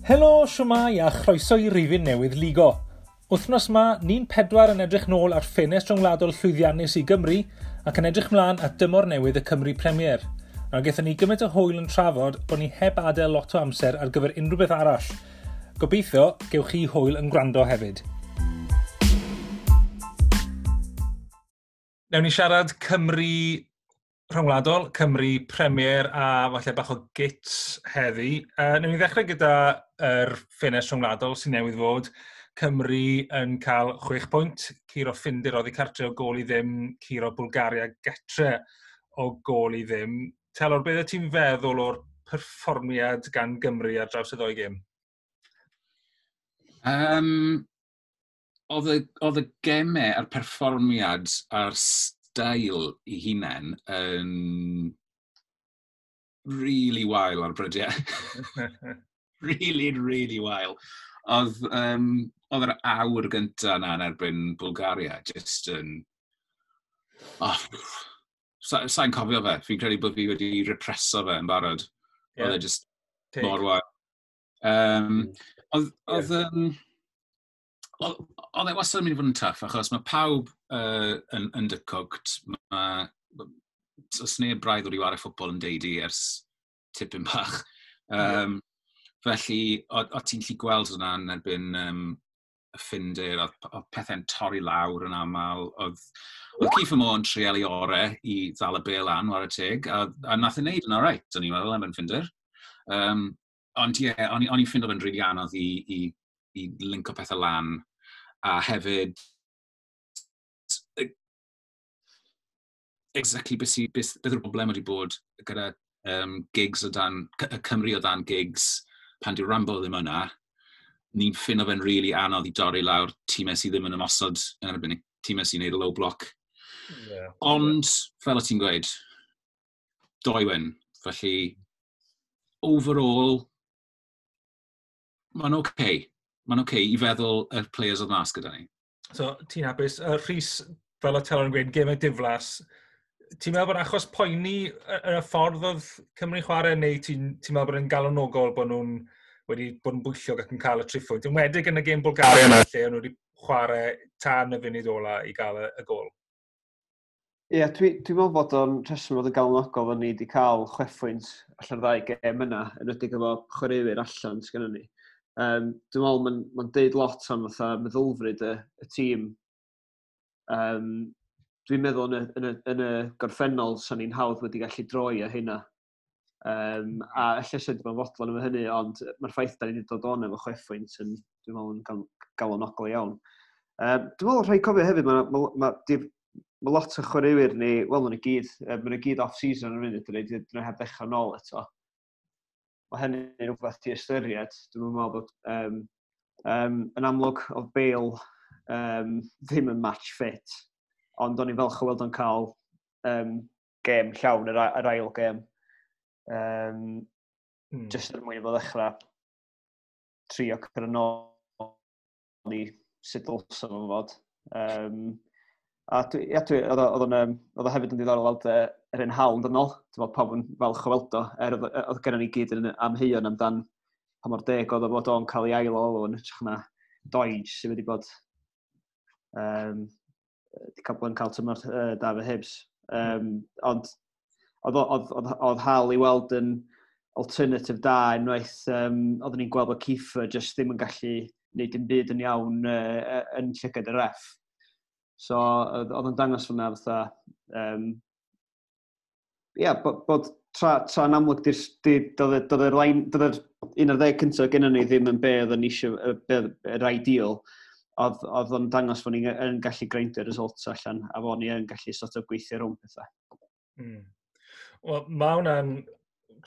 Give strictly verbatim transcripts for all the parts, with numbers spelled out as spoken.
Helo, siwmai a chroeso i rifyn newydd Ligo. Wythnos ma, ni'n pedwar yn edrych nôl ar ffenest rhyngwladol llwyddiannus i Gymru ac yn edrych mlaen at dymor newydd y Cymru Premier. Nawr gaethon ni gymaint o hwyl yn trafod bod ni heb adael lot o amser ar gyfer unrhyw beth arall. Gobeithio, gewch chi hwyl yn gwrando hefyd. Newn ni siarad Cymru rhyngwladol, Cymru Premier a falle bach o gits heddi. Uh, newn ni ddechrau gyda yr ffenest rhyngwladol sy'n newydd fod. Cymru yn cael chwech pwynt, curo Ffindir oddi cartre o gôl i ddim, curo Bulgaria getre o gôl i ddim. Telor, beth ti'n feddwl o'r perfformiad gan Gymru ar draws y ddoi gêm? Um, oedd y, oedd y gemau a'r perfformiad a'r steil i hunain yn really wael ar brydiau. Really, really wael. Oedd, um, oedd yr awr gyntaf yna yn erbyn Bulgaria just yn... Oh, sa, sa'n cofio fe. Fi'n credu bod fi wedi represo fe yn barod. Yeah. Oedd e just Take. mor wael. Um, oedd, oedd, yeah. um, oedd, oedd e wastad yn mynd i fod yn tough, achos mae pawb uh, yn undercooked. Mae, os neb braidd wedi chwarae ffwtbol yn deidi ers tipyn bach. Um, yeah. Felly, o, o ti'n gallu gweld hwnna yn erbyn um, y Ffindir, oedd, oedd pethau'n torri lawr yn aml. Oedd, oedd Kieffer Moore yn treial ei orau i ddal y bêl lan, whare teg, a, a nath ei wneud yn alright, o'n i'n meddwl, erbyn Ffindir. Um, ond ie, yeah, o'n i'n ffindo fe'n rili anodd i, i, i linko pethau lan, a hefyd, exactly beth, sy, beth, beth yw'r broblem wedi bod gyda um, Giggs o dan, y Cymru o dan Giggs, pan di Rambo ddim yna, ni'n ffindo fe'n rili really anodd i dorri lawr tîmau sydd ddim yn ymosod yn erbyn tîmau sy'n neud y low block. Yeah. Ond, fel o ti'n gweud, doi win. Felly, overall, mae'n oce. Okay. Mae'n oce okay i feddwl y players oedd mas gyda ni. So, ti'n hapus. Uh, Rhys, fel o Telor yn gweud, gemau diflas, ti'n meddwl bod achos poeni yn y ffordd oedd Cymru chwarae, neu ti'n ti meddwl bod yn galonogol bod nhw'n wedi bod yn bwyllog ac yn cael y triffwynt? Enwedig yn y gêm Bulgaria yna, lle o'n nhw wedi chwarae tan y funud ola i gael y, y gôl. Ie, yeah, dwi'n dwi meddwl bod o'n rheswm fod yn galonogol fod ni wedi cael chwech pwynt allan ddau gêm yna, yn enwedig efo chwaraewyr allan sgynnon ni. Um, dwi'n meddwl mae'n ma deud lot am fatha meddylfryd y, y tîm. Um, dwi'n meddwl yn y, yn y, yn y gorffennol sa'n ni'n hawdd wedi gallu droi ar hynna. Um, a ella sydd wedi bod yn fodlon efo hynny, ond mae'r ffaith da ni wedi dod o'n efo chwech pwynt yn, dwi'n meddwl, yn gal, galonogol iawn. Um, dwi'n meddwl rhaid cofio hefyd, mae ma, ma, ma, ma lot o chwaraewyr ni, wel, maen nhw gyd, maen nhw gyd off-season yn funud, dyn nhw heb ddechrau nôl eto. Mae hynny'n rhywbeth i ystyried. Dwi'n meddwl bod um, um, yn amlwg oedd Bale um, ddim yn match fit, ond o'n i'n falch o weld o'n cael um, gêm llawn, yr, yr ail gêm. Um, mm. Just er mwyn i fo ddechrau trio cyrraedd nôl i sut dylsa fo'n fod. Um, a dwi, ia, dwi, oedd o- oedd o'n, yym, oedd o hefyd yn diddorol weld yy, yr un hawl yn ôl. Dwi'n meddwl pawb yn falch o weld o, er oedd, oedd gennym ni gyd yn amheuon amdan pa mor deg oedd o fod o'n cael ei ail olw yn hytrach na Doidge sydd wedi bod um, wedi cael bod yn cael tymor uh, da efo Hibs. Um, ond oedd, oedd, oedd, oedd Hal i weld yn alternative da unwaith um, oedden ni'n gweld bod Kieffer just ddim yn gallu gwneud dim byd yn iawn uh, yn llygad y ref. So oedd oedd yn dangos hwnna fatha, um, ia, bod, bod tra, tra yn amlwg di'r, di, doedd doedd yr line, doedd yr un ar ddeg cyntaf gennym ni ddim yn be oedden ni eisiau, be yr ideal, oedd, oedd o'n dangos fod ni'n yn gallu greindio results allan, a fod ni yn gallu sort of gweithio rhwng pethau. Mm. Wel, mae hwnna'n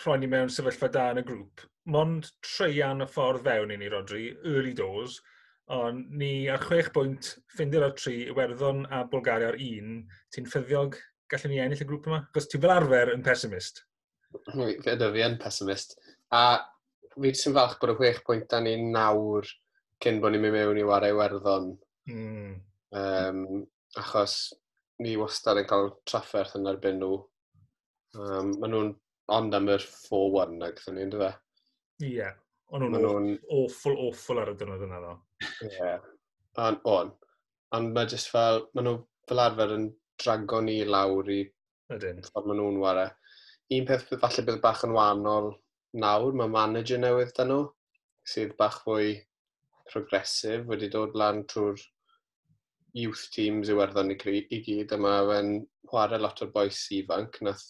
rhoi ni mewn sefyllfa da yn y grŵp. Mond treian y ffordd fewn i ni, Rodri, early doors, ond ni ar chwech bwynt, Ffindir ar tri, Iwerddon a Bulgaria ar un. Ti'n ffyddiog gallwn ni ennill y grŵp yma? Achos ti fel arfer yn pessimist. Fi ydw, fi yn pessimist. A fi jyst yn falch bod y chwech pwynt da ni nawr cyn bod ni'n mynd mewn i wario Iwerddon. Mm. Um, achos ni wastad yn cael trafferth yn erbyn nhw. Um, maen nhw'n ond am yr four one ag ni, ynddo fe? Ie. Yeah. O'n nhw'n awful, awful ar y dynod yna ddo. Ie. Yeah. On, on. Ond mae jyst fel, maen nhw fel arfer yn drago ni lawr i Ydyn. ffordd maen nhw'n ware. Un peth falle bydd bach yn wahanol nawr, mae manager newydd da nhw, sydd bach fwy progressive, wedi dod lan trwy'r youth teams Iwerddon i, i gyd, a mae fe'n chwarae lot o'r bois ifanc. Nath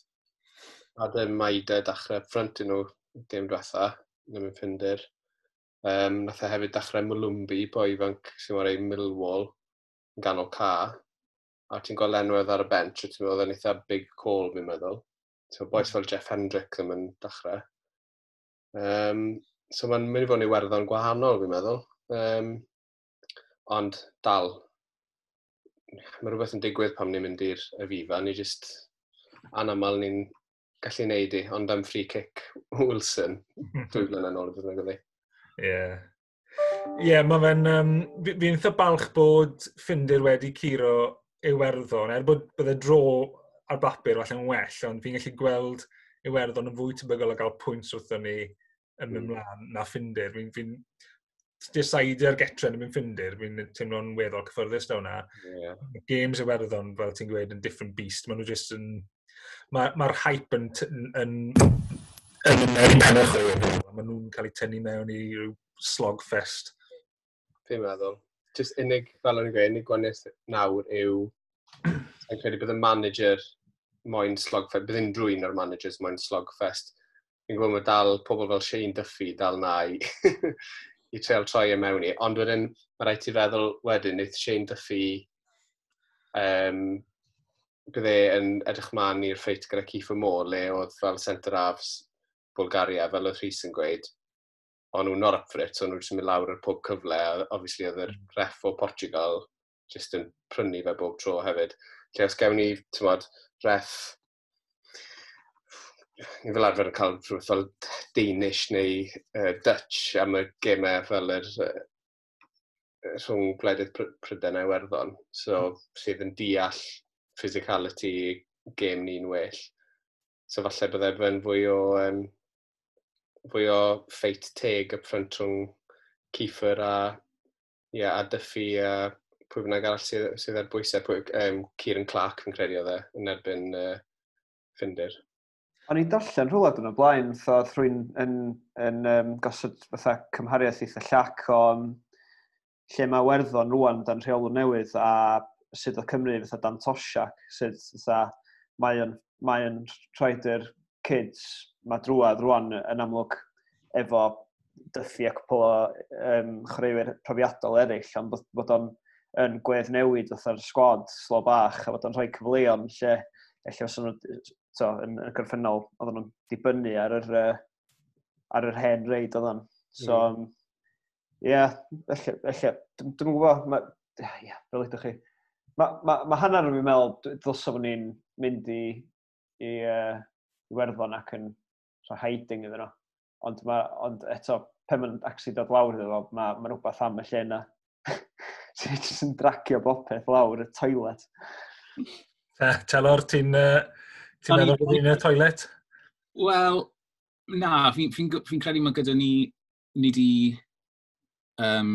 Adam Maida dechrau front i nhw gêm diwetha, ddim yn Ffindir. Um, nath e hefyd dechrau Molumby, boi ifanc sy'n chwarae Millwall, yn ganol ca. A ti'n gweld enwedd ar y bench, a ti'n meddwl yn eitha big call, fi'n meddwl. So, bois fel Jeff Hendrick ddim yn dechrau. Um, so mae'n mynd i fod yn Iwerddon gwahanol, fi'n meddwl. Um, ond dal, mae rhywbeth yn digwydd pam ni'n mynd i'r Aviva. Ni just anamal ni'n gallu neud i, ond am free kick Wilson, dwy flynedd yn ôl, bydd yn gyda. Ie. Ie, mae fe'n... Um, fi'n eitha balch bod Ffindir wedi curo Iwerddon, er bod bydde draw ar bapur falle'n well, ond fi'n gallu gweld Iwerddon yn fwy tebygol o gael pwynt wrthon ni yn mynd mm. mlaen na Ffindir. Fi'n fi decider getre yn mynd Ffindir, fi'n teimlo'n weddol cyffyrddus da hwnna. Yeah. Games Iwerddon, fel ti'n gweud, yn different beast. Maen nhw just yn... Mae'r ma hype yn, yn, yn, yn, yn pen y chwaraewyr. Maen nhw'n cael eu tynnu mewn i ryw slogfest. Fi'n meddwl. Just unig, fel o'n i'n gweud, unig gwahaniaeth nawr yw, fi'n credu bydd y manager moyn slogfest, bydd unrhyw un o'r managers moyn slogfest. Fi'n gwybod mae dal pobl fel Shane Duffy dal na i, i treol troi e mewn i. Ond wedyn, mae rhaid ti feddwl wedyn, wneith Shane Duffy, um, bydd e yn edrych man i'r ffeit gyda Kiefer Moore, le oedd fel centre halves Bulgaria, fel oedd Rhys yn gweud, o'n nhw'n not up for it, so nhw jyst yn mynd lawr ar pob cyfle, a obviously oedd yr ref o Portugal jyst yn prynu fe bob tro hefyd. Lle os gewn ni, ti'n ref, ni fel arfer yn cael rhywbeth fel Danish neu uh, Dutch am y gemau fel yr uh, rhwng gwledydd Prydain a Iwerddon, so sydd yn deall physicality gêm ni'n well. So falle bydde fe'n fwy o, um, fwy o ffeit teg up front rhwng Kiefer a, yeah, a Duffy a pwy bynnag arall sydd, sydd ar bwysau, pwy, um, Kieran Clark fi'n credu oedd e yn erbyn uh, Ffindir. O'n i'n darllen rhywle dyn o blaen, fatha oedd rhywun yn, yn, um, gosod fatha cymhariaeth eitha llac o um, lle mae Werddon rwan dan rheolwr newydd a sut oedd Cymru fatha dan Toshack, sut fatha mae o'n, mae o'n rhoid yr kids, mae drwad rwan yn amlwg efo Duffy a cwpl o um, chwaraewyr profiadol eraill, ond bod, bod o'n yn gwedd newid fatha'r sgwad slo bach a bod o'n rhoi cyfleon lle ella os nhw to, yn, yn gorffennol oedden nhw'n dibynnu ar yr, uh, ar yr hen reid oedd o'n. So, mm. ie, yeah, ella, ella, dwi'n gwybod, ma, ie, yeah, fel ydych chi. Mae ma, ma hanner yn fi'n meddwl, ddylsa fod ni'n mynd i, i uh, Iwerddon ac yn rhoi hiding iddyn nhw. Ond, ma, ond eto, pen ma'n actually dod lawr iddo fo, mae ma rhywbeth am y lle yna. Sy'n jyst yn dragio bopeth lawr y toilet. Telor, ti'n uh, ti meddwl bod ni'n y toilet? Wel, na, fi'n fi, fi, fi credu mae gyda ni, ni di, um,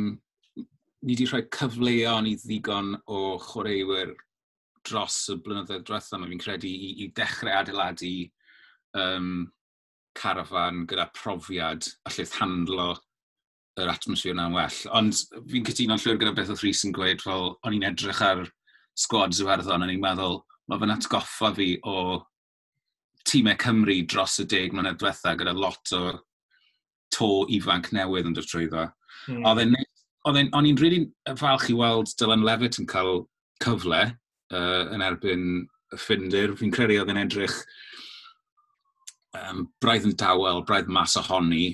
ni di rhoi cyfleon i ddigon o chwaraewyr dros y blynyddoedd diwethaf yma, fi'n credu, i, i dechrau adeiladu um, carafan gyda profiad allith handlo yr atmosffer yna'n well. Ond fi'n cytuno'n llwyr gyda beth oedd Rhys yn gweud, fel o'n i'n edrych ar sgwads Iwerddon, o'n i'n meddwl, mae fe'n atgoffa fi o tîmau Cymru dros y deg mlynedd diwetha gyda lot o to ifanc newydd yn dod trwyddo. Mm. Oedd e'n, oedd e'n, o'n i'n really falch i weld Dylan Levitt yn cael cyfle uh, yn erbyn y Ffindir. Fi'n credu oedd e'n edrych um, braidd yn dawel, braidd mas ohoni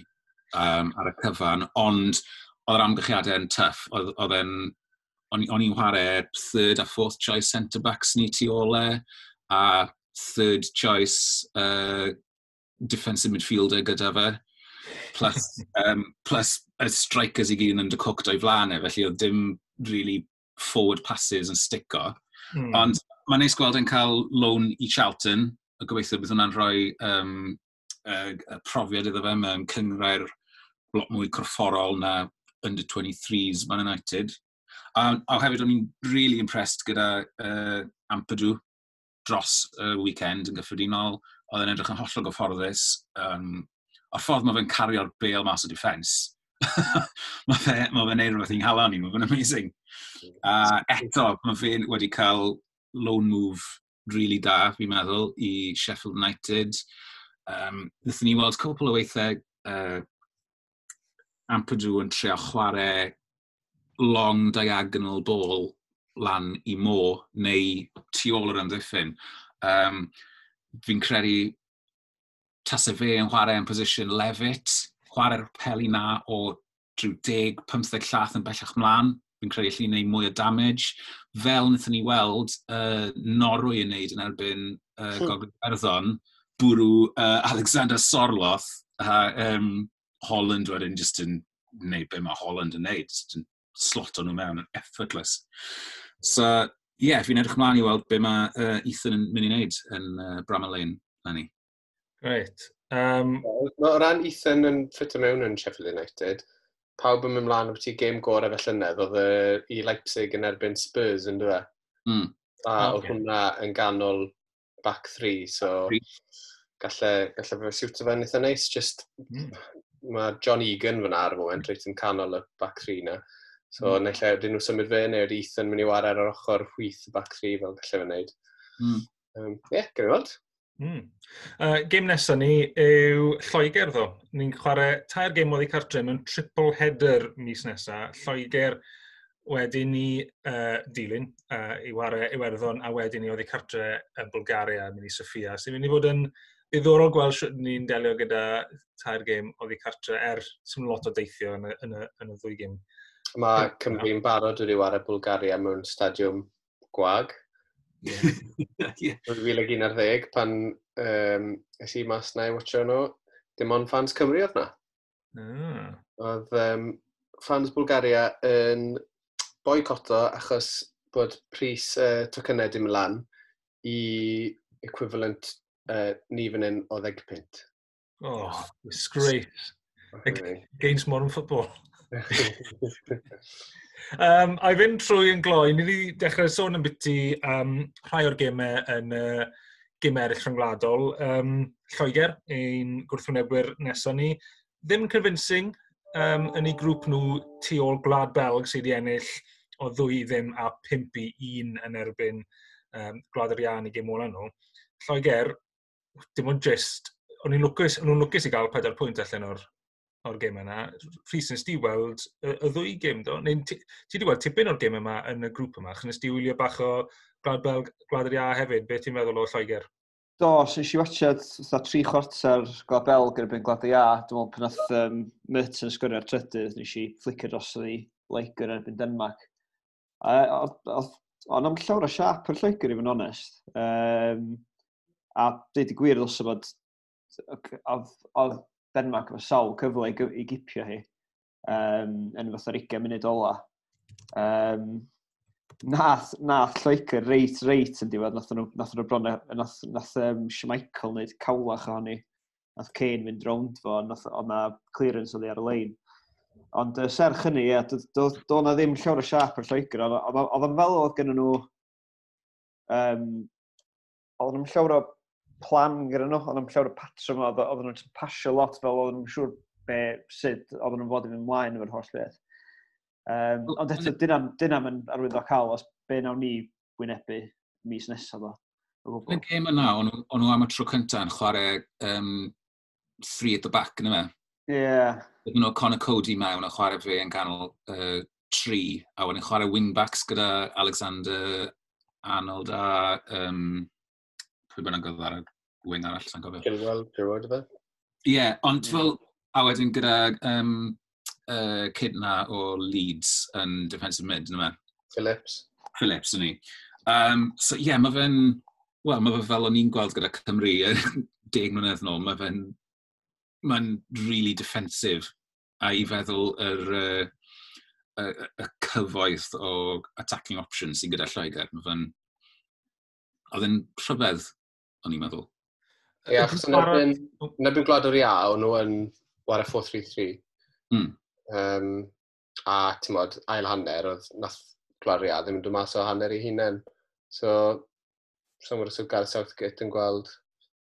um, ar y cyfan, ond oedd yr amgylchiadau yn tough. Oedd, oedd e'n, o'n o'n i'n chwarae third a fourth choice centre-backs ni tu ôl e, a third choice uh, defensive midfielder gyda fe, plus, um, plus y strikers i gyd yn undercooked o'i flaen e, felly oedd dim really forward passes yn stico. Mm. Ond mae'n neis gweld e'n cael loan i Charlton, a gobeithio bydd hwnna'n rhoi um, uh, profiad iddo fe mewn cynghrair Lot mwy corfforol na under twenty-threes Man United. A, a hefyd o'n i'n really impressed gyda uh, Ampadu dros y weekend yn gyffredinol. Oedd e'n edrych yn hollol gyfforddus. Um, o'r ffordd mae fe'n cario'r bêl mas o defence, mae fe, ma fe'n neud rhywbeth i'n nghalon i, mae fe'n amazing. A eto, mae fe wedi cael loan move really da, fi'n meddwl, i Sheffield United. Um, Nethon ni weld cwpl o weithiau uh, Ampadu yn trio chwarae long diagonal ball lan i Mo neu tu ôl yr amddiffyn. Um, fi'n credu tase fe yn chwarae yn position Levitt, chwarae'r peli na o drwy deg, pymtheg llath yn bellach mlaen, fi'n credu allu gwneud mwy o damage. Fel wnaethon ni weld uh, Norwy yn neud yn erbyn uh, Gogledd Iwerddon, bwrw uh, Alexander Sorloth a um, Holland wedyn just yn gwneud be mae Holland yn neud, just yn sloto nhw mewn yn effortless. So, ie, yeah, fi'n edrych mlaen i weld be mae uh, Ethan yn mynd i wneud yn uh, Bramall Lane, eleni. Reit. Um, O ran Ethan yn ffito mewn yn Sheffield United, pawb yn mynd mlaen o beth i gêm gorau fel llynedd, oedd y, i Leipzig yn erbyn Spurs yn dweud. Mm. A Ocê. oedd hwnna yn ganol back three, so Three. galle, galle fe siwto fe'n eitha neis. Just, Mm. mae John Egan fyna ar y moment, reit yn canol y back three na. So, mm. naill ai ydyn nhw symud fe, neu ydy Ethan mynd i wario ar yr ochr chwith y back three fel galle fe wneud. Mm. Um, yeah, gawn ni weld. Mm. Uh, gêm nesaf ni yw Lloegr ddo. Ni'n chwarae tair gêm oddi cartre mewn triple header mis nesaf. Lloegr wedyn ni uh, dilyn uh, i ware Iwerddon a wedyn ni oddi cartre yn Bulgaria, mynd i Sofia. Sy'n mynd i fod yn ddiddorol gweld sut ni'n delio gyda tair gêm oddi cartre er sy'n lot o deithio yn y, yn y, yn y ddwy gêm. Mae Cymru'n barod wedi ware Bulgaria mewn stadiwm gwag. yeah. dwy fil ac un ar ddeg pan um, es i mas na i watcho nhw, dim ond fans Cymru oedd na. Ah. Oedd um, fans Bulgaria yn boicoto achos bod pris uh, tocynnau dim lan i equivalent uh, ni fan hyn o ddeg punt. Oh, disgrace. Against modern football. Um, a i fynd trwy yn gloi, ni wedi dechrau sôn am biti um, rhai o'r gemau yn uh, gemau eraill rhyngwladol. Um, Lloegr, ein gwrthwynebwyr nesaf ni. Ddim convincing um, yn ei grŵp nhw tu ôl Gwlad Belg sydd wedi ennill o ddwy i ddim a pump i un yn erbyn um, Gwlad yr Iâ yn ei gêm ola nhw. Lloegr, dim ond just, o'n i'n lwcus, o'n nhw'n lwcus i gael pedair pwynt allan o'r o'r gêm yna. Rhys, nes di weld y, y ddwy gêm do? Neu ti, ti di weld tipyn o'r gêm yma yn y grŵp yma, achos nes di wylio bach o Gwlad Belg, Gwlad yr Iâ hefyd. Be ti'n meddwl o Lloegr? Do, so nes i watchad fatha tri chwarter Gwlad Belg erbyn Gwlad y Iâ. Dwi'n meddwl pan nath um, Mertens sgorio ar trydydd, nes i flicio dros i Loegr erbyn Denmark. A oedd o'n am llawer o siap yr Lloegr i fod yn onest. Um, a dweud y gwir ddylse bod oedd oedd Denmark efo sawl cyfle i, gy- i gipio hi um, yn fatha'r ugain munud ola. Um, nath, nath Lloegr reit, reit yn diwedd, nath nhw, nath nhw bron, nath, nath um, Schmeichel wneud cawlach ohoni. Nath Kane fynd rownd fo, nath, oedd na clearance oddi ar y lein. Ond uh, serch hynny, ie, do, do, do na ddim llawer o siap ar Lloegr. Oedd oedd- oedd o'n fel oedd gen nhw... Um, oedd nhw'n llawer o plan gyda nhw, oedd nhw'n llawer o patrwm, oedd oedd nhw'n pasio lot fel oedd nhw'n siŵr be, sut oedd nhw'n fod i fynd mlaen efo'r holl beth. Um, ond eto, dyna, dyna yn arwyddocaol os be nawn ni wynebu mis nesaf o. O Yn y gwbl. gêm yna, o'n nhw- o'n nhw am y tro cyntaf yn chwarae um, three at the back, yn yma. Ie, yeah. Oedden nhw Conor Coady mewn a chwarae fe yn canol uh, tri, a wedyn chwarae wing-backs gyda Alexander Arnold a um, pwy bynnag oedd ar y wing arall, sa'n cofio. Chilwell, Chilwell, fe? Ie, yeah, ond Ie. fel, a wedyn gyda um, uh, kid na o Leeds yn defensive mid, yn yma. Phillips. Phillips, yn ni. Um, so ie, yeah, mae fe'n, wel, mae fe fel o'n i'n gweld gyda Cymru yy, deg mlynedd nôl, mae fe'n, mae'n really defensive. A i feddwl yr, uh, y, y, y cyfoeth o attacking options sy'n gyda Lloegr, mae fe'n, oedd e'n rhyfedd, o'n i'n meddwl. Ie, achos yn erbyn, yn erbyn Gwlad yr Iâ, o'n nhw yn ware pedwar tri tri. Mm. Um, a ti'n modd, ail hanner, oedd nath Gwlad yr Iâ ddim yn dod mas o hanner ei hunain. So, so os oedd Gareth Southgate yn gweld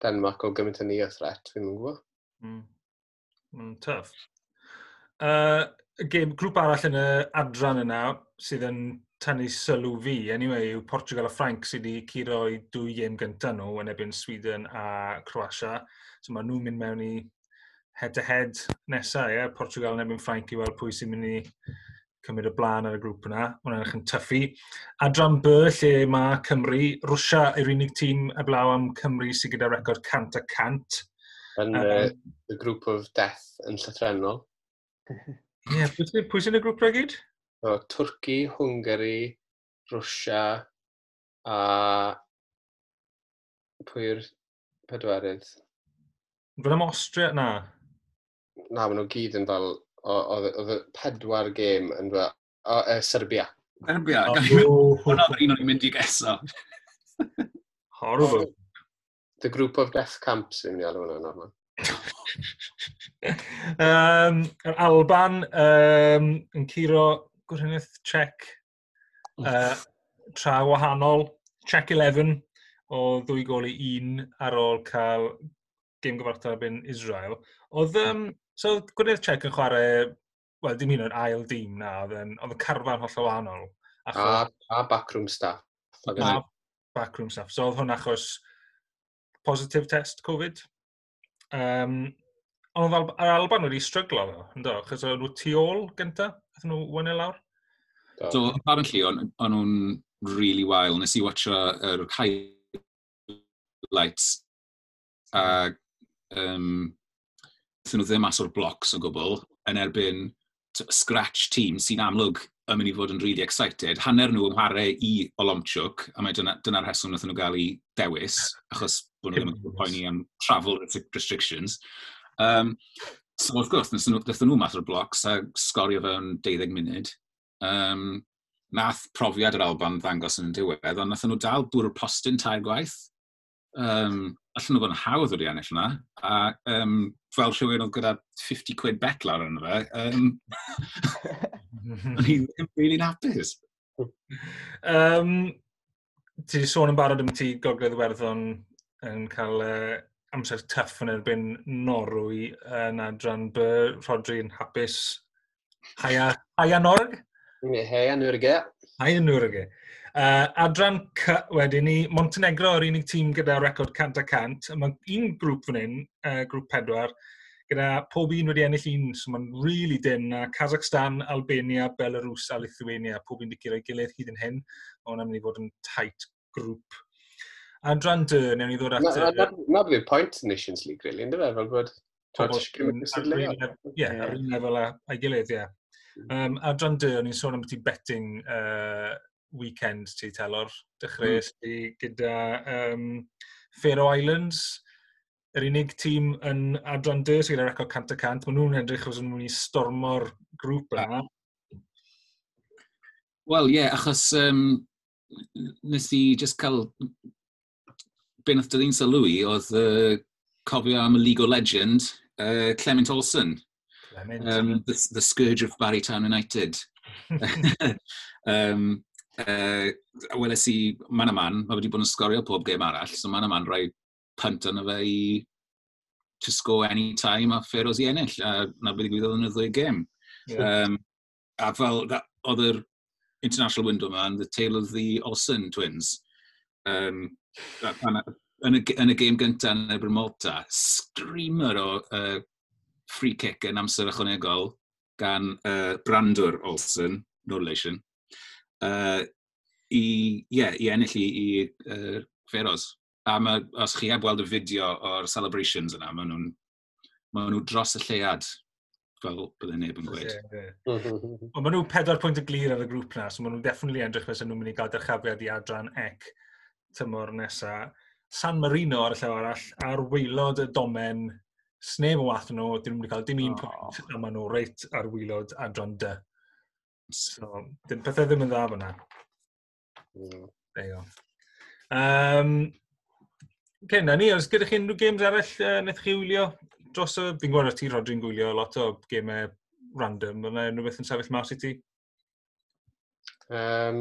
Denmark o gymaint yn ni o threat, fi'n gwybod. Mm. Mm, tough. Uh, game, grŵp arall yn y adran yna sydd yn tynnu sylw fi, anyway, yw Portugal a Ffrainc sydd wedi curo i dwy gêm gyntaf nhw yn erbyn Sweden a Croatia. So mae nhw'n mynd mewn i head-to-head nesaf, ie? Portugal yn erbyn Ffrainc i weld pwy sy'n mynd i cymryd y blaen ar y grŵp yna. Hwnna'n edrych yn toughy. Adran B, lle mae Cymru, Rwsia yw'r unig tîm eblaw am Cymru sydd gyda record cant a cant. Yn um, uh, the group of death yn llythrennol. Ie, yeah, pwy, pwy sy'n y grŵp 'na gyd? So, Twrci, Hwngari, Rwsia a pwy yw'r pedwerydd? Fel am Austria? Na. Na, maen nhw gyd yn fel, oedd oedd y pedwar gêm yn fel, o, uh, Serbia. Serbia. Oh. Hwna oedd un o'n i'n mynd i geso. Horrible. The group of death camps fi'n mynd i alw hwnna, Norman. um, yr Alban um, yn curo Gweriniaeth Czech uh, tra wahanol. Czech eleven o ddwy gol i un ar ôl cael gêm gyfartal erbyn Israel. Oedd, um, so oedd Gweriniaeth Czech yn chwarae, wel, dim un o'r ail dîm na, oedd yn, oedd y carfan hollol wahanol. Achos, A, a backroom staff. A backroom staff. So oedd hwn achos positive test Covid. Um, ond oedd Al yr Alban wedi stryglo ddo, ynddo? Achos oedd nhw tu ôl gynta, aethon nhw one nil lawr. Do. So, apparently, o'n o'n nhw'n really wael. Nes i watcho yr highlights a um, aethon nhw ddim mas o'r blocks o gwbl yn erbyn t- scratch team sy'n amlwg yn mynd i fod yn really excited. Hanner nhw yn chwarae i Olomchuk, a mae dyna, dyna'r rheswm wnaethon nhw gael ei dewis, achos bod nhw ddim yn poeni am travel restrictions. Um, so, wrth gwrs, wnaethon nhw, wnaethon nhw mas o'r blocks a sgorio fewn deuddeg munud. Um, nath profiad yr Alban ddangos yn y diwedd, ond nathon nhw dal bwrw'r postyn tair gwaith. Um, allan nhw fod yn hawdd wedi ennill yna. A um, fel rhywun oedd gyda fifty quid bet lawr arno fe, um, o'n i ddim really'n hapus. Um, ti wedi sôn yn barod am ti Gogledd Iwerddon yn cael uh, amser tough yn erbyn Norwy yn adran B, Rodri yn hapus. Haia, Haia Norg? Heia Norge. Haia Norge. Uh, adran C wedyn ni, Montenegro yr unig tîm gyda record cant a cant. Mae un grŵp fan hyn, uh, grŵp pedwar, gyda pob un wedi ennill un, so mae'n really dyn. A Kazakhstan, Albania, Belarus a Lithuania, pob un wedi curo'i gilydd hyd yn hyn. Mae hwnna'n mynd i fod yn tight grŵp. Adran D, newn ni ddod at Na, na, na bydd point Nations League, really, ynddo fe? Fel bod pobl ti'n cymryd ar cystadleuol. yr un lef- Ie, ar un lefel â- â'i gilydd, ie. Um, adran D, o'n i'n sôn am beth i betting uh, weekend ti, Telor. Dechreuais mm. ti gyda um, Faroe Islands, yr unig tîm yn adran D sydd gyda record cant y cant. Maen nhw'n edrych os nhw'n mynd i stormo'r grŵp yna. Wel, ie, yeah, achos um, nes i just cael... Be nath dyn sylw i oedd uh, cofio am y League legend, uh, Clement Olsen. Clement. Um, the, the Scourge of Barry Town United. um, uh, weles i man a man, mae wedi bod yn sgorio pob gêm arall, so man a man rhoi punt arno fe i to score any time a Faroes i ennill, a na beth ddigwyddodd yn y ddwy gêm. Yeah. Um, a fel, that, oedd yr international window yma yn the tale of the Olsen twins. Um, pan, yn, y, yn y gêm gyntaf yn erbyn Malta, screamer o uh, free kick yn amser ychwanegol gan uh, Brandur Olsen, no relation, uh, i, yeah, i ennill i, i uh, Faroes. A ma, os chi heb weld y fideo o'r celebrations yna, maen nhw'n ma nhw dros y lleuad, fel bydde neb yn gweud. Ie, ie. Ond maen nhw pedwar pwynt y glir ar y grŵp na, so maen nhw'n definitely edrych fel nhw'n mynd i gael dyrchafiad i adran C tymor nesa. San Marino ar y llaw arall, ar waelod y domen, sneb yn waeth nhw, dyn nhw'n mynd i cael dim un Oh. pwynt, a maen nhw reit ar waelod adran D. So, dim pethau ddim yn dda fyna. Mm. There you go. Um, okay, na ni, oes gyda chi unrhyw games arall uh, wnaeth chi wylio dros y... Fi'n gwybod ti, Rodri'n gwylio lot o gemau random, yna unrhyw beth yn sefyll mas i ti? Um,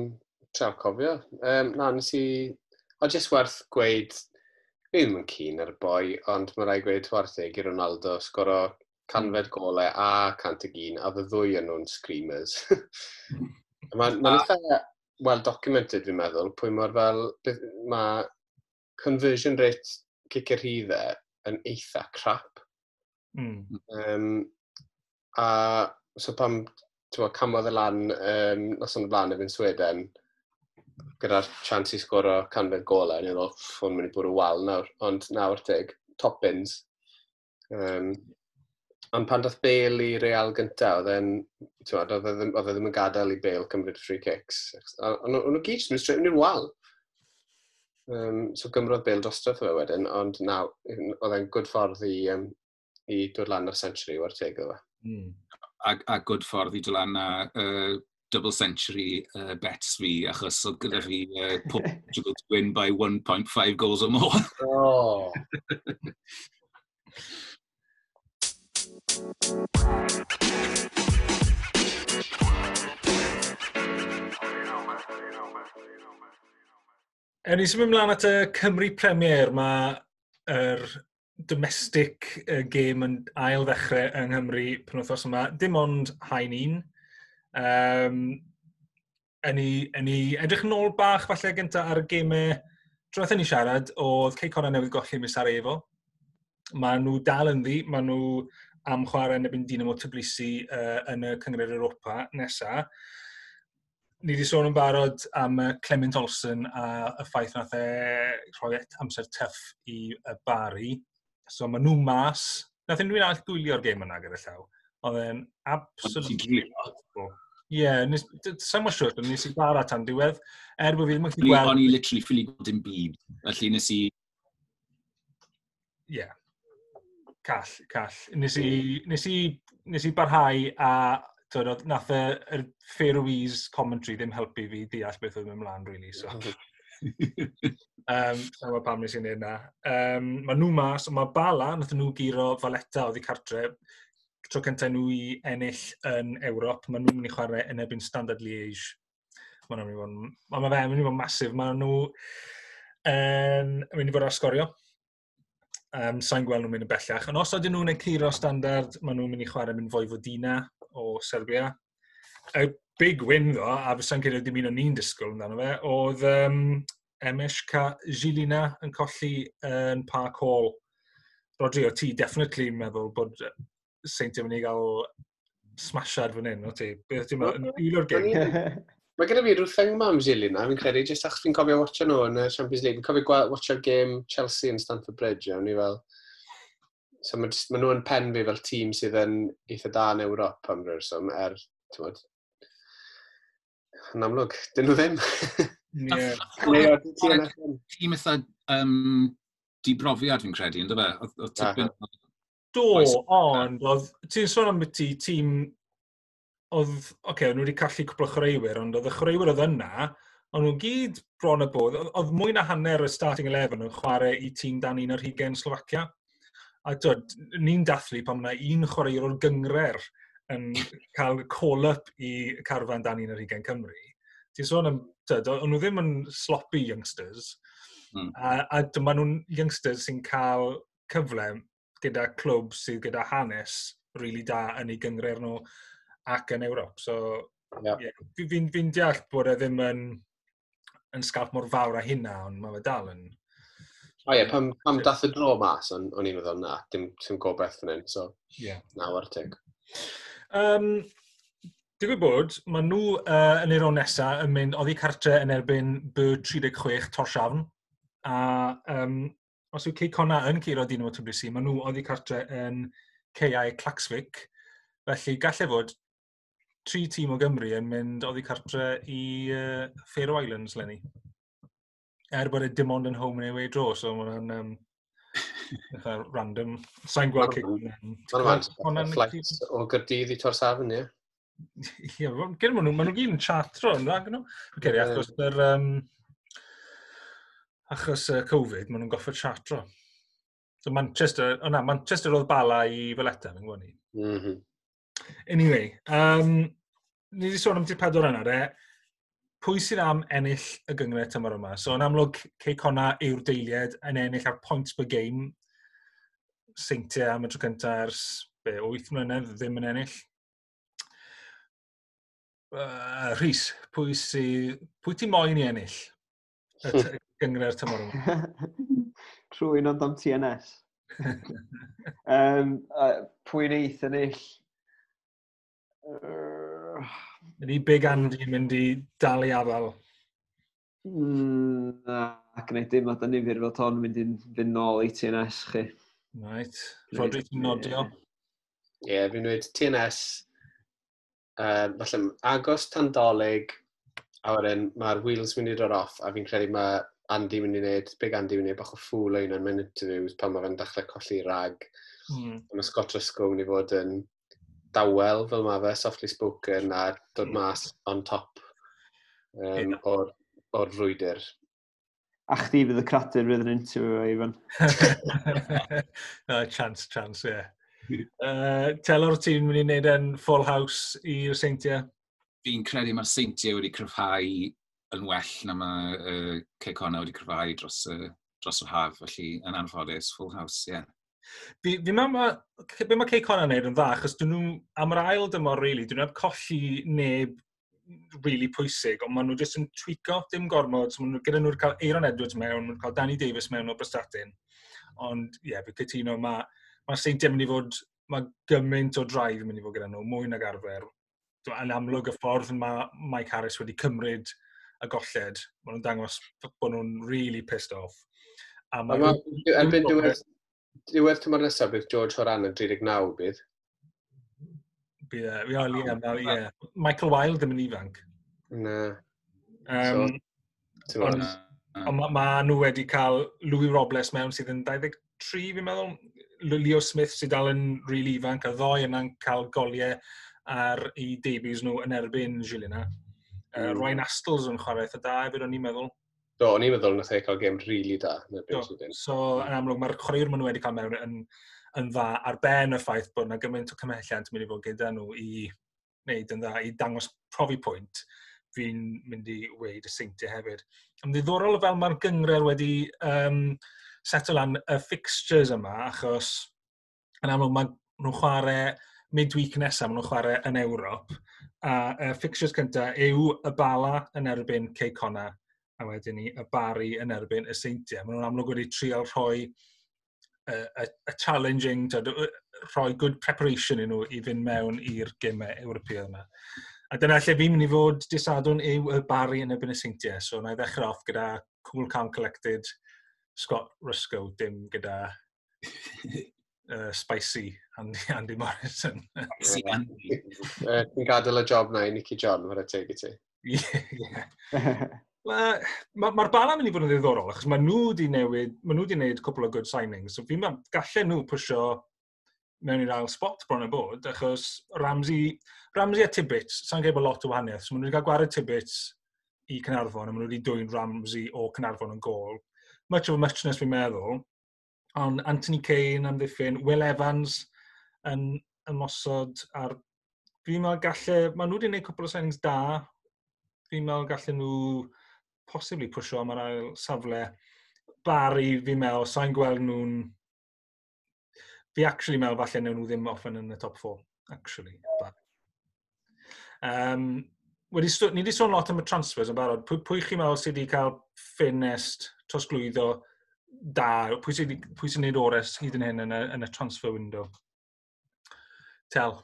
Treial cofio. Um, na, nes i... O, jyst werth gweud, fi ddim yn keen ar y boi, ond mae rhaid gweud chwarae teg i Ronaldo sgoro canfed golau a cant ag un, a y ddwy yn nhw'n screamers. Mae'n ma eitha well documented, fi'n meddwl, pwy mor fel, mae conversion rate cicio rhyddau yn eitha crap. Mm. Um, a so pam ti'n camodd e lan um, noson o blaen efo'n Sweden, gyda'r chance i sgoro canfed golau, ni'n meddwl, hwn mynd i bwrw wal nawr, ond nawr teg, top bins. Um, ond pan dath Bale i Real gyntaf, oedd e'n, oedd e ddim, oedd e ddim yn gadael i Bale cymryd free kicks. Ond nhw gyd jyst yn straight mynd i'r wal. Um, so gymrodd Bale drosto fe wedyn, ond na, oedd e'n good ffordd i, um, i dod lan ar century, war teg iddo fe. Mm. A, a good ffordd i dod lan ar uh, double century uh, bets fi, achos oedd gyda fi uh, Portugal to win by one point five goals or more. Oh. Ewn ni symud ymlaen at y Cymru Premier. Mae yr domestic game yn ail ddechrau yng Nghymru penwythnos yma. Dim ond haen un. Um, yn ni, yn ni edrych yn ôl bach falle gyntaf ar y gemau tro ni siarad, oedd Cei Connah newydd golli mis Sarajevo. Mae nhw dal ynddi, mae nhw am chwarae yn erbyn Dinamo Tbilisi uh, yn y Cynghrair Europa nesa. Ni wedi sôn yn barod am Clement Olsen a y ffaith nath e rhoi amser tough i y Bari. So maen nhw mas. Nath unrhyw un arall gwylio'r gêm yna gyda llaw? Oedd e'n absolutely. Ie, yeah, sa'n mor siŵr, nes i bara tan diwedd, er bod fi ddim yn gallu gweld. O'n i literally ffili gweld dim byd, felly nes i. Ie, yeah. Call, call. Nes i, nes i, nes i barhau a twyd, nath y, y Faroese commentary ddim helpu fi deall beth oedd yn ymlaen, really. So. um, Sa'n gwybod pam nes i'n neud na. Um, mae nhw mas, mae Bala, nath nhw guro Valletta oddi cartre, tro cyntaf nhw i ennill yn Ewrop, maen nhw'n mynd i chwarae yn erbyn Standard Liège. Mae'n mynd i fod, ma fe mynd i fod masif. Maen nhw yn mynd i fod ar sgorio. Um, Sa'n gweld nhw'n mynd yn bellach. Ond os ydyn nhw'n curo Standard, maen nhw'n mynd i chwarae mynd Vojvodina o Serbia. Y big win ddo, a fysa'n credu dim un o'n ni'n disgwyl amdano fe, oedd um, M S K Žilina yn colli yn Park Hall. Rodri, o ti definitely meddwl bod Seintiau mynd i gael smashad fan hyn, o ti? Beth ti'n meddwl? Un o'r gêm? Mae gyda fi rhyw thing ma am Žilina, fi'n credu, jyst achos fi'n cofio watcha nhw yn y Champions League. Fi'n cofio watcha'r game Chelsea yn Stamford Bridge, a o'n i fel. So mae, ma nhw yn pen fi fel tîm sydd yn eitha da yn Ewrop am ryw reswm, er, ti'n bod, yn amlwg, dyn nhw ddim. Yeah. Tîm eitha um, dibrofiad fi'n credu, ynddo fe? Oedd tipyn. Do, ond oedd, ti'n sôn am ti tîm, oedd, oce, okay, nhw wedi colli cwpl o chwaraewyr, ond oedd y chwaraewyr oedd yna, ond nhw gyd bron y bod, oedd, oedd mwy na hanner y starting eleven yn chwarae i tîm dan un ar hugain Slovacia. A dod, ni'n dathlu pan mae un chwaraewr o'r gynghrair yn cael call-up i carfan dan un ar hugain Cymru. Ti'n sôn am, dod, o'n nhw ddim yn sloppy youngsters, mm. a, a dyma nhw'n youngsters sy'n cael cyfle gyda clwb sydd gyda hanes really da yn ei gynghrair nhw ac yn Ewrop. So, yeah. Yeah, fi'n fi, fi deall bod e ddim yn, yn sgap mor fawr â hynna, ond mae fe dal yn. O ie, pam, pam dath y dro mas, o'n, o'n i'n meddwl, na, dim, dim gobeith fan hyn, so yeah. na, war teg. Um, Digwydd bod, maen nhw uh, yn ei nesaf yn mynd oddi cartre yn erbyn B tri deg chwech Torshavn. A um, os yw Cei Connah yn curo Dinamo Tbilisi, maen nhw oddi cartre yn K I Klaksvik. Felly gallai fod tri tîm o Gymru yn mynd oddi cartre i uh, Faroe Islands, lenni. Er bod e dim ond yn home and away draw, so mae'n um, random. Sa'n gweld Cei Mae'n flight o Gaerdydd i Torshavn, ie. Ie, gyda nhw, maen nhw gyd yn chartro, yn dda, nhw? Okay, achos yr, um, achos uh, Covid, maen nhw'n goffod chartro. So Manchester, o na, Manchester oedd Bala i Valletta, fi'n gwybod ni. Mm -hmm. Anyway, um, ni wedi sôn am ti'r pedwar yna, de. Pwy sydd am ennill y gynghrair tymor yma? So, yn amlwg, Cei Connah yw'r deiliad yn ennill ar points per game. Seintiau am y tro cyntaf ers be, wyth mlynedd ddim yn ennill. Uh, Rhys, pwy, sy, pwy ti moyn i ennill y t- gynghrair tymor yma? Trwy'n ond am T N S. um, uh, pwy neith ennill? Uh, Ydy Big Andy yn mynd i dal i afal? mm, na, gwneud dim at y nifyr fel ton mynd i'n fynd nôl i T N S chi. Right. Rodri, ti'n nodio? Ie, yeah, fi'n dweud T N S, uh, falle agos tan Dolig, a wedyn mae'r wheels mynd i dod off, a fi'n credu mae Andy mynd i wneud, Big Andy mynd i wneud bach o ffŵl o un o'n mewn interviews pan mae fe'n dechrau colli rag. Mm. A mae Scott Ruscoe mynd i fod yn dawel fel mae fe, softly spoken, a dod mas on top um, Ie. o'r, o'r frwydr. A chdi fydd y cradur fydd yn interview, Ivan. No, chance, chance, ie. Yeah. Uh, Telor, ti'n mynd i wneud yn full house i'r Seintiau? Fi'n credu mae'r Seintiau wedi cryfhau yn well na mae uh, Cei Connah wedi cryfhau dros, uh, dros yr haf, felly yn anffodus, full house, ie. Yeah. Fi, fi meddwl, ma, be mae Cei Connah yn neud yn dda, achos dyn nhw, am yr ail dymor, really, dyn nhw heb colli neb really pwysig, ond maen nhw jyst yn tweako, dim gormod, so maen nhw, gyda nhw'n cael Aaron Edwards mewn, maen nhw'n cael Danny Davis mewn o Prestatyn. Ond, ie, yeah, fi cytuno, mae ma Seintiau mynd i fod, mae gymaint o drive yn mynd i fod gyda nhw, mwy nag arfer. Yn amlwg y ffordd mae Mike Harris wedi cymryd y golled, maen nhw'n dangos bod nhw'n really pissed off. A A ma, erbyn diwedd, diwedd tymor nesaf bydd George Horan yn tri deg naw bydd. Bydd, e, ie, ie, ma- ie. Michael Wilde ddim yn ifanc. Na. Um, Ti'n gwbod? Ond- Ond ma, ma nhw wedi cael Louis Robles mewn sydd yn dau ddeg tri, fi'n meddwl. Leo Smith sydd dal yn really ifanc, a ddoi yna'n cael goliau ar eu debuts nhw yn erbyn Gilina. Uh, Mm. Ryan Astles yn chwarae eitha da hefyd, o'n i'n meddwl. Do, o'n i'n meddwl nath e cael gêm really da yn erbyn Do. Sweden. So, yn amlwg, mae'r chwaraewyr maen nhw wedi cael mewn yn, yn dda ar ben y ffaith bod yna gymaint o cymhelliant yn mynd i fod gyda nhw i wneud yn dda, i dangos profi pwynt, fi'n mynd i weud y Seintiau hefyd. Yn ddiddorol fel mae'r gynghrair wedi um, settle lan y fixtures yma, achos yn amlwg mae nhw'n chwarae midweek nesaf, maen nhw'n chwarae yn Ewrop, a y fixtures cyntaf yw y Bala yn erbyn Cei Connah, a wedyn ni y Barri yn erbyn y Seintiau. Maen nhw'n amlwg wedi trial rhoi y, y, y challenging, tyd, rhoi good preparation i nhw i fynd mewn i'r gemau Ewropeaidd yma. A dyna lle fi'n mynd i fod dydd Sadwrn yw y Barri yn erbyn y Seintiau. So na i ddechrau off gyda cool, calm, collected Scott Ruscoe, dim gyda uh, spicy Andy, Andy Morrison. Spicy Andy. Yy, Ti'n gadael y job na i Nicky John, whare teg i ti. Ie, ie. Mae'r ma, ma Bala'n mynd i fod yn ddiddorol, achos mae nhw wedi newid, mae nhw wedi gwneud cwpl o good signings, so fi'n meddwl gallen nhw pwysio mewn i'r ail spot bron y bod, achos Ramsey, Ramsey a Tibbets, sa'n gwybod bod lot o wahaniaeth, so maen nhw wedi cael gwared Tibbets i Caernarfon, a maen nhw wedi dwyn Ramsey o Caernarfon yn gôl. Much of a muchness fi'n meddwl, ond Anthony Kane am ddiffyn, Will Evans yn ymosod ar. Fi'n meddwl galle. Maen nhw wedi gwneud cwpl o signings da. Fi'n meddwl gallen nhw possibly pwysio am yr ail safle. Barry, fi'n meddwl, sa'n gweld nhw'n... Fi actually meddwl falle newn nhw ddim offen yn y top four, actually. But, um, wedi, ni wedi sôn lot am y transfers yn barod. Pwy, pwy chi'n meddwl sydd wedi cael ffenest trosglwyddo da? Pwy sydd pwy sy'n gwneud ores hyd yn hyn yn y, yn y transfer window? Tel,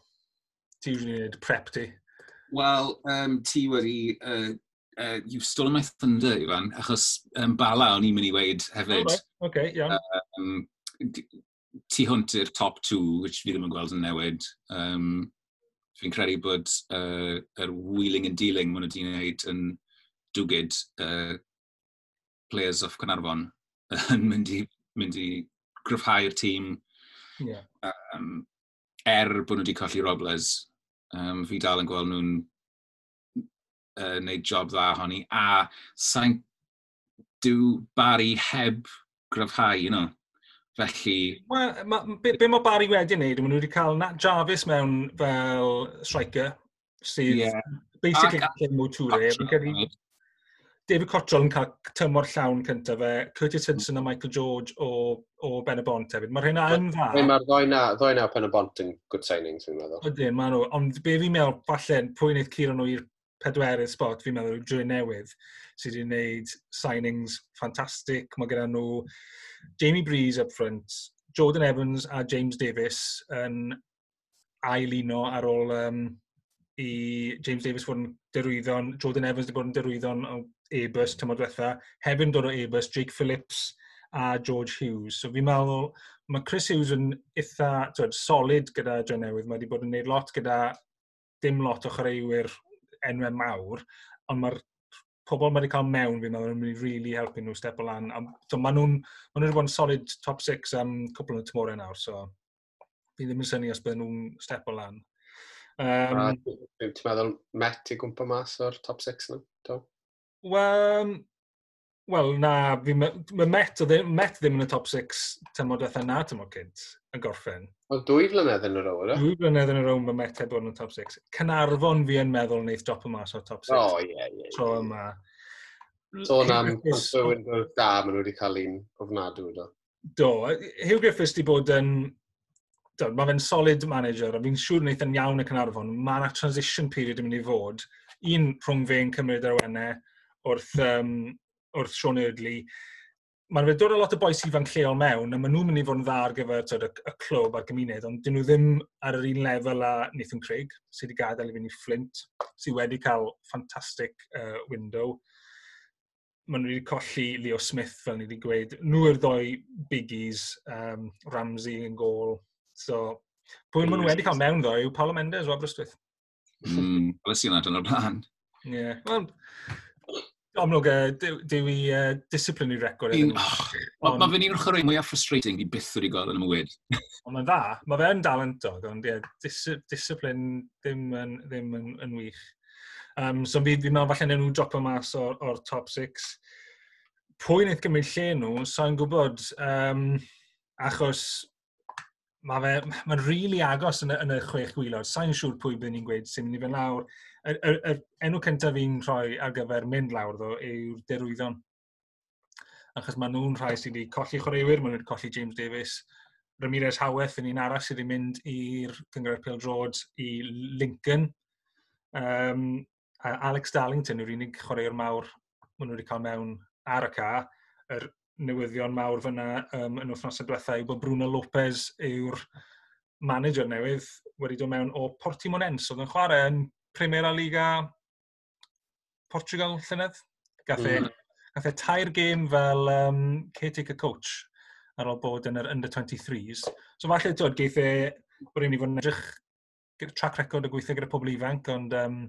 ti usually wneud prep ti. Wel, um, ti wedi... Uh, uh, you've stolen my thunder, Ivan, achos um, Bala o'n i'n mynd i weud hefyd. Oh, right. Okay, iawn. Um, tu hwnt i'r top two, which fi ddim yn gweld yn newid. Um, fi'n credu bod uh, yr wheeling and dealing maen nhw wedi gwneud yn dwgyd uh, players of Caernarfon yn mynd i, mynd i gryfhau'r tîm. Yeah. Um, er bod nhw wedi colli Robles, um, fi dal yn gweld nhw'n uh, wneud job dda honni. A sa'n dyw Barry heb gryfhau, you know. Felly... Wel, ma, be, be mae Barry wedi wneud, maen nhw wedi cael Nat Jarvis mewn fel striker, sydd yeah. basically gallu Mo Toure. David Cottrell yn cael tymor llawn cyntaf fe, Curtis Hudson a Michael George o, o Ben y Bont hefyd. Mae'r hynna yn dda. Mae'r ddoi na, ddoi na o Pen y Bont yn good signings, fi'n meddwl. Ydyn, maen nhw. Ond be fi'n meddwl, falle, pwy wneud curo nhw i'r pedwerydd spot, fi'n meddwl, yw Dre Newydd, sydd wedi gwneud signings ffantastig. Mae gyda nhw Jamie Breeze up front, Jordan Evans a James Davis yn ail uno ar ôl um, i James Davis fod yn derwyddon, Jordan Evans wedi bod yn derwyddon o Airbus tymor diwetha, hefyd yn dod o Airbus, Jake Phillips a George Hughes. So fi'n meddwl, mae Chris Hughes yn eitha twed, solid gyda Dre Newydd. Mae wedi bod yn gwneud lot gyda dim lot o chwaraewyr enwau mawr, ond mae'r pobl mae wedi cael mewn, fi'n meddwl, yn mynd i really helpu nhw step o lan. A, so, maen nhw'n ma nhw wedi bod yn solid top six am cwpl o tymorau nawr, so fi ddim yn synnu os bydden nhw'n step o lan. Um, Ti'n meddwl Met i gwmpa mas o'r top six nhw? Wel, wel na, fi, mae Met, oedd e- Met ddim yn y top six tymor diwetha na tymor cynt yn gorffen. Wel, dwy flynedd yn y row, yna? Dwy flynedd yn y row mae Met heb bod yn y top six. Caernarfon fi yn meddwl wneith drop mas o'r top six. O, ie, ie. Tro yma. Sôn am transfer window da, maen nhw wedi cael un ofnadw, do. Do. Hugh Griffiths wedi bod yn... Do, mae fe'n solid manager, a fi'n siŵr wneith yn iawn y Caernarfon. Mae yna transition period yn mynd i fod. Un rhwng fe'n cymryd yr awenau wrth, um, wrth Sean Eardley. Mae'n fe dod â lot o bois ifanc lleol mewn, a maen nhw'n mynd i fod yn dda ar gyfer twyd, y, y clwb a'r gymuned, ond dyn nhw ddim ar yr un lefel â Nathan Craig, sydd wedi gadael i fynd i Flint, sydd wedi cael ffantastig uh, window. Maen nhw wedi colli Leo Smith, fel ni wedi gweud. Nhw yw'r ddoi biggies, um, Ramsey yn gôl. So, pwy maen nhw wedi cael mewn ddo yw Paulo Mendes o Aberystwyth. Mm, Wel, sy'n yna o'r blaen. Ie. Yeah. Well, amlwg, uh, dyw i uh, disciplinary record. Iddyn nhw. Oh, Mae fe'n un o'r chwarae mwyaf frustrating fi byth wedi gweld yn y mywyd. Ond mae'n dda. Mae fe'n dalentog, ond ie, dis discipline ddim yn, ddim yn, yn wych. Um, so fi, fi'n meddwl falle newn nhw dropo mas o'r, or top six. Pwy wnaeth gymryd lle nhw, sa'n gwybod, um, achos mae fe, mae'n rili really agos yn y, yn y chwech gwaelod. Sa'n siŵr pwy byddwn ni'n gweud sy'n mynd i fynd lawr. Y, y, y enw cyntaf fi'n rhoi ar gyfer mynd lawr ddo yw'r Derwyddon. Achos maen nhw'n rhai sydd wedi colli chwaraewyr, maen nhw wedi colli James Davis, Ramirez Howeth yn un arall sydd wedi mynd i'r Cynghrair Pêl-droed i Lincoln. Um, a Alex Darlington yw'r unig chwaraewr mawr maen nhw wedi cael mewn ar y ca. Yr newyddion mawr fyna um, yn wythnosau diwethaf yw bod Bruno Lopez yw'r manager newydd wedi dod mewn o Portimonense, oedd yn chwarae yn Primera Liga Portugal llynedd. Gath e, mm. gath e tair gêm fel um, caretaker coach ar ôl bod yn yr under twenty-threes. So falle, twyd, geith e, bod i'n i fod yn edrych gyda track record o gweithio gyda pobl ifanc, ond um,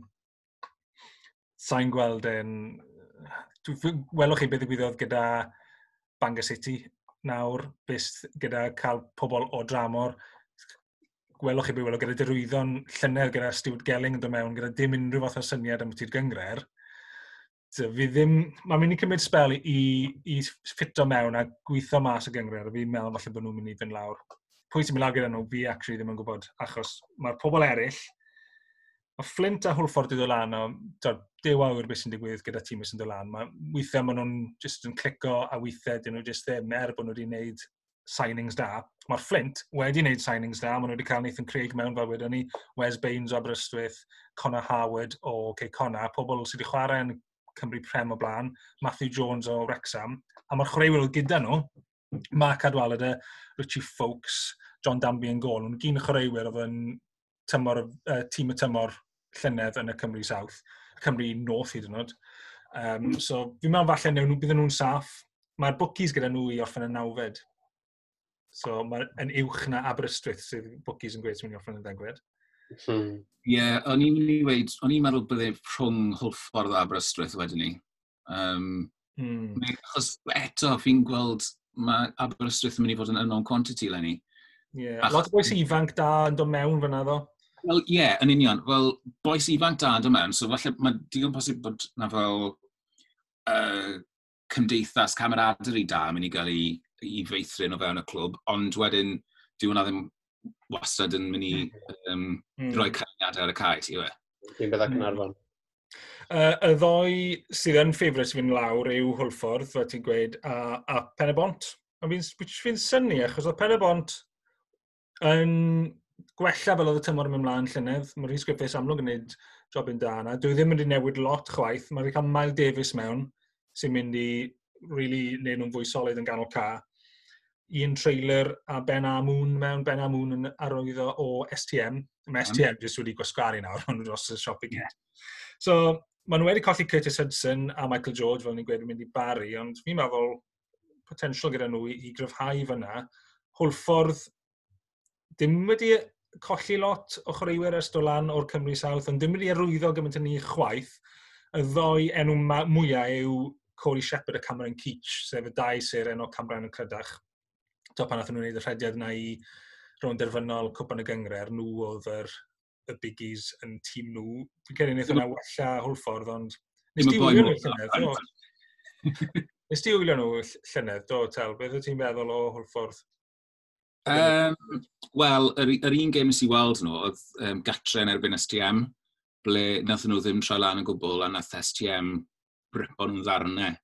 sa'n gweld e'n... Welwch chi beth ddigwyddodd gyda Bangor City nawr, beth gyda cael pobl o dramor. Gwelwch chi beth welwch gyda Derwyddon llynedd gyda Stuart Gelling yn dod mewn, gyda dim unrhyw fath o syniad am ti'r gynghrair. So, fi ddim... Mae'n mynd i cymryd sbel i, i ffito mewn a gweithio mas y gynghrair, a fi'n meddwl falle bod nhw'n mynd i fynd lawr. Pwy sy'n mynd lawr gyda nhw, fi actually ddim yn gwybod, achos mae'r pobl eraill, mae Flint a Hwlffordd wedi dod lan, o, dew awyr beth sy'n digwydd gyda tîm sy'n dod lan. Mae, weithiau maen nhw'n just yn clico a weithiau dyn nhw just ddim, er bod nhw wedi gwneud signings da. Mae'r Flint wedi gwneud signings da, maen nhw wedi cael Nathan Craig mewn fel wedyn ni, Wes Baines o Aberystwyth, Connor Howard o Cei Connah, pobl sydd wedi chwarae yn Cymru Prem o blaen, Matthew Jones o Wrexham, a mae'r chwaraewyr oedd gyda nhw, Mark Cadwallader, Richie Foulkes, John Danby yn gôl, nhw'n gyn chwaraewyr oedd yn tymor, uh, tîm y tymor llynedd yn y Cymru South, Cymru North hyd yn oed. Um, so fi'n meddwl falle newn nhw, bydden nhw'n saff. Mae'r bookies gyda nhw i orffen yn nawfed. So mae'n uwch na Aberystwyth sydd bookies yn gweud sy'n mynd i orffen yn ddegfed. Hmm. Ie, yeah, o'n i'n mynd i weud, o'n i'n meddwl bydde rhwng Hwlffordd a Aberystwyth wedyn ni. Um, mm. Achos eto, fi'n gweld mae Aberystwyth yn mynd i fod yn unknown quantity leni. Ie, yeah. Lot o bois ifanc da yn dod mewn fyna ddo. Wel, ie, yeah, yn union. Wel, bois ifanc da yn dod mewn, so falle mae digon posib bod na fel uh, cymdeithas camaraderie da yn mynd i gael ei, i feithrin o fewn y clwb, ond wedyn, dyw hwnna ddim wastad yn mynd i um, mm. rhoi canlyniadau ar y cae, ti yw e? Un beth â Caernarfon. Uh, y ddoi sydd yn ffefryn sy'n fynd lawr yw Hwlffordd, fel ti'n gweud, a, a Pen-y-bont. A fi'n fi synnu, achos oedd Pen-y-bont yn gwella fel oedd y tymor yn mynd mlaen llynedd. Mae Rhys Griffiths amlwg yn gwneud jobyn da yna. Dwi ddim wedi newid lot chwaith. Mae wedi cael Miles Davis mewn, sy'n mynd i really neud nhw'n fwy solid yn ganol ca. Un trailer a Ben Amoon mewn, Ben Amoon yn arwyddo o S T M. Mae S T M jyst wedi gwasgaru nawr, ond dros y siop i gyd. So, maen nhw wedi colli Curtis Hudson a Michael George, fel ni'n gweud, yn mynd i Barry, ond fi'n meddwl potensial gyda nhw i, i gryfhau fyna. Hwlffordd dim wedi colli lot o chwaraewyr ers dod lan o'r Cymru South, ond dim wedi arwyddo gymaint yn ni chwaith. Y ddoi enw mwyaf yw Corey Shepherd a Cameron Keach, sef y dau syr enw Cameron yn Clydach. To pan nath nhw'n gwneud y rhediad yna i rownd derfynol Cwpan y Gynghrair, nhw oedd yr, y biggies yn tîm nhw. Fi'n credu wnaeth hwnna wella Hwlffordd, ond nes di wylio nhw llynedd, do? Nes di wylio nhw llynedd, do, Tel? Beth wyt ti'n feddwl o Hwlffordd? Um, Wel, yr, yr un gêm nes i weld nhw oedd um, gatre yn erbyn S T M, ble nath nhw ddim troi lan yn gwbl a nath S T M ripo nhw'n ddarnau.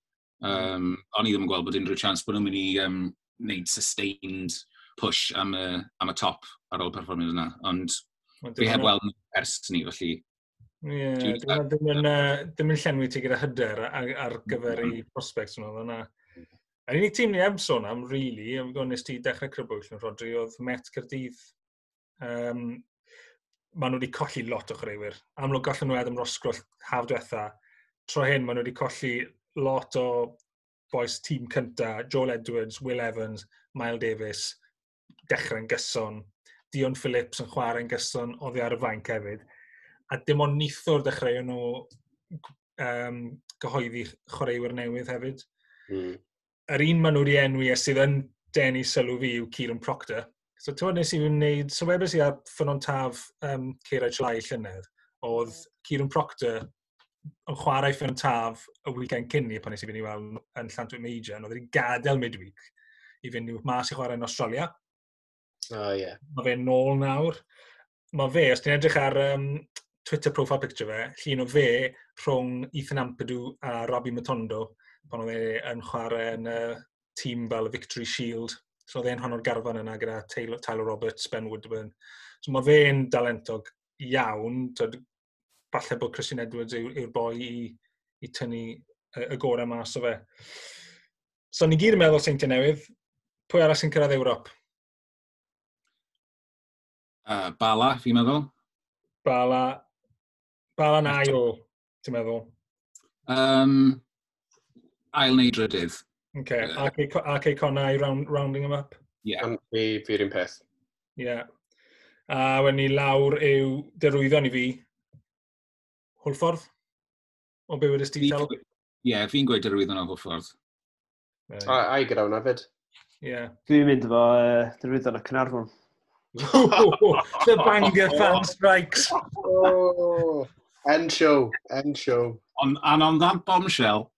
Um, o'n i ddim yn gweld bod unrhyw chance bod nhw'n mynd i um, wneud sustained push am y, am y top ar ôl perfformiad yna. Ond fi heb weld nhw ers ni, felly. Ie, yeah, ddim yn, ddim yn llenwi ti gyda hyder ar, ar gyfer ei prospects nhw, yna. Yr unig tîm ni heb sôn am, really, am nes ti dechrau crybwyll yn Rodri, oedd Met Caerdydd. Um, maen nhw wedi colli lot o chwaraewyr. Amlwg gollen nhw Adam Roscroll haf diwetha. Tro hyn, maen nhw wedi colli lot o boys tîm cynta, Joel Edwards, Will Evans, Miles Davis, dechrau'n gyson. Dion Phillips yn chwarae'n gyson oddi ar y fainc hefyd. A dim ond neithiwr dechreuon nhw um, gyhoeddi chwaraewyr newydd hefyd. Mm. Yr un maen nhw wedi enwi a sydd yn denu sylw fi yw Kieran Proctor. So ti'n nes i wneud, so webes i ar Ffynnon Taf um, Ceirau Llai llynedd, oedd Kieran Proctor yn chwarae Ffynnon Taf y weekend cyn ni pan nes i fynd i weld yn Llantwit Major, oedd wedi gadael midweek i fynd mas i chwarae yn Australia. Oh, yeah. Mae fe'n nôl nawr. Mae fe, os ti'n edrych ar um, Twitter profile picture fe, llun o fe rhwng Ethan Ampadu a Robbie Matondo, pan oedd e yn chwarae yn y uh, tîm fel y Victory Shield. So oedd e'n rhan o'r garfan yna gyda Taylor, Tyler Roberts, Ben Woodburn. So mae fe'n dalentog iawn. Tyd, falle bod Christian Edwards yw'r yw boi i, i tynnu y, y gorau mas o fe. So ni gyd yn meddwl Seintiau Newydd. Pwy arall sy'n cyrraedd Ewrop? Uh, Bala, fi'n meddwl. Bala. Bala na ail, ti'n meddwl? Um, ail neu drydydd. Okay. Uh, R K, R K Connah round, rounding them up? Yeah. Fi, fi'r un peth. Yeah. A wedyn ni lawr yw derwyddon i fi. Hwlffordd? O be wedys ti, Tal? Ie, yeah, fi'n gweud derwyddon o Hwlffordd. Right. A, a i gyda hwnna fyd. Ie. Yeah. Dwi'n mynd efo uh, derwyddon o Caernarfon. The Bangor fan strikes. Oh, end show, end show. On, and on that bombshell.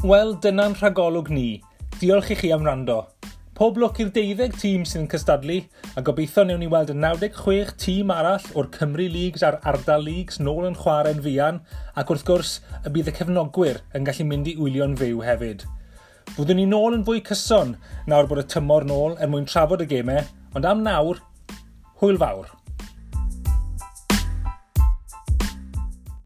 Wel, dyna'n rhagolwg ni. Diolch i chi am wrando. Pob lwc i'r deuddeg tîm sydd yn cystadlu, a gobeithio newn ni weld y naw deg chwech tîm arall o'r Cymru Leagues a'r Ardal Leagues nôl yn chwarae'n fuan, ac wrth gwrs y bydd y cefnogwyr yn gallu mynd i wylio'n fyw hefyd. Fyddwn ni nôl yn fwy cyson nawr bod y tymor nôl er mwyn trafod y gemau, ond am nawr, hwyl fawr.